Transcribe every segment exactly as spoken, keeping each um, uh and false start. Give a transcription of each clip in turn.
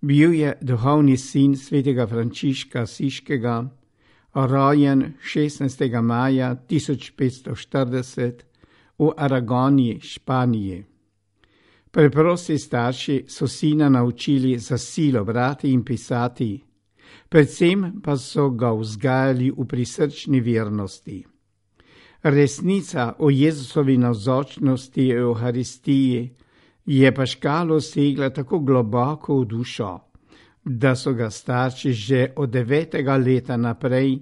Bil je duhovni sin svetega Frančiška Asiškega, rojen šestnajstega maja tisoč petsto štirideset v Aragoniji, Španiji. Preprosti starši so sina naučili za silo brati in pisati, predvsem pa so ga vzgajali v prisrčni vernosti. Resnica o Jezusovi navzočnosti v Evharistiji je Paškalu segla tako globoko v dušo, da so ga starši že od devetega leta naprej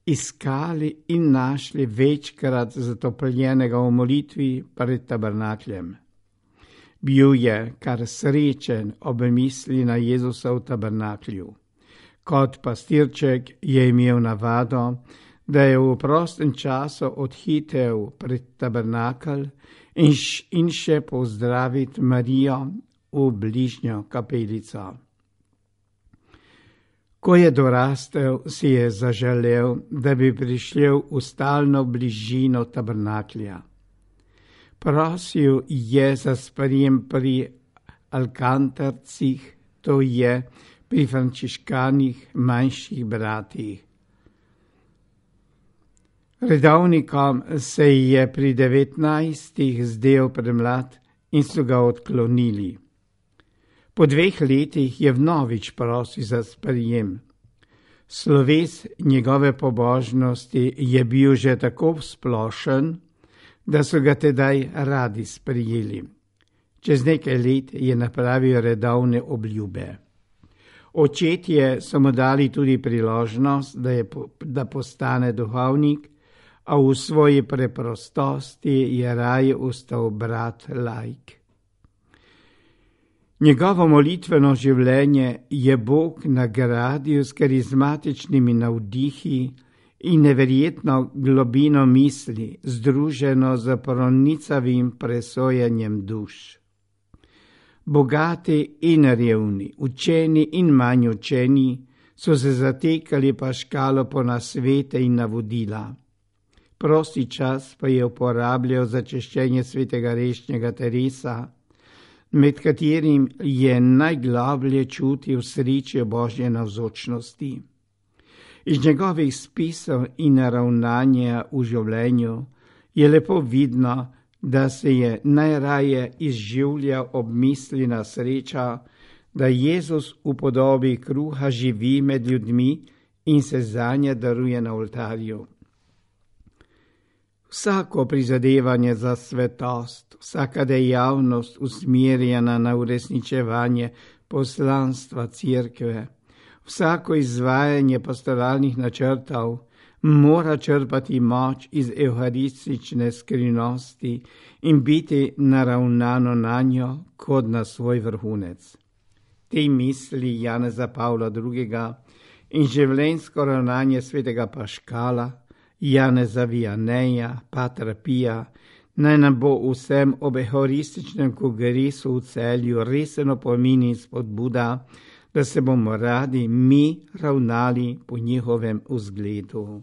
iskali in našli večkrat zatopljenega v molitvi pred tabernakljem. Bil je kar srečen ob misli na Jezusa v tabernaklju. Kot pastirček je imel navado, da je v prostem času odhitel pred tabernakelj in, in še pozdraviti Marijo v bližnjo kapelico. Ko je dorastel, si je zaželel, da bi prišel v stalno bližino tabernaklja. Prosil je za sprejem pri alkantarcih, to je pri frančiškanih manjših bratih. Redovnikom se je pri devetnajstih zdel premlad in so ga odklonili. Po dveh letih je vnovič prosil za sprejem. Sloves njegove pobožnosti je bil že tako splošen, da so ga tedaj radi sprejeli. Čez nekaj let je napravil redovne obljube. Očetje so mu dali tudi priložnost, da, je, da postane duhovnik, a v svoji preprostosti je raje ostal brat laik. Njegovo molitveno življenje je Bog nagradil s karizmatičnimi navdihi in neverjetno globino misli, združeno z pronicavim presojanjem duš. Bogati in revni, učeni in manj učeni so se zatekali Paškalu po nasvete in navodila. Prosti čas pa je uporabljal za češčenje svetega Rešnjega Teresa, med katerim je najgloblje čutil srečo Božje navzočnosti. Iz njegovih spisov in ravnanja v življenju je lepo vidno, da se je najraje izživljal ob misli na sreča, da Jezus v podobi kruha živi med ljudmi in se zanje daruje na oltarju. Vsako prizadevanje za svetost, vsaka dejavnost usmerjena na uresničevanje poslanstva cerkve, vsako izvajanje pastoralnih načrtov mora črpati moč iz evharistične skrivnosti in biti naravnano na njo kot na svoj vrhunec. Te misli Janeza Pavla drugega in življenjsko ravnanje svetega Paškala, Janeza Vianeja, Patra Pija, naj nam bo vsem ob evharističnem kongresu v Celju resen opomin in spodbuda, da se bomo radi mi ravnali po njihovem vzgledu.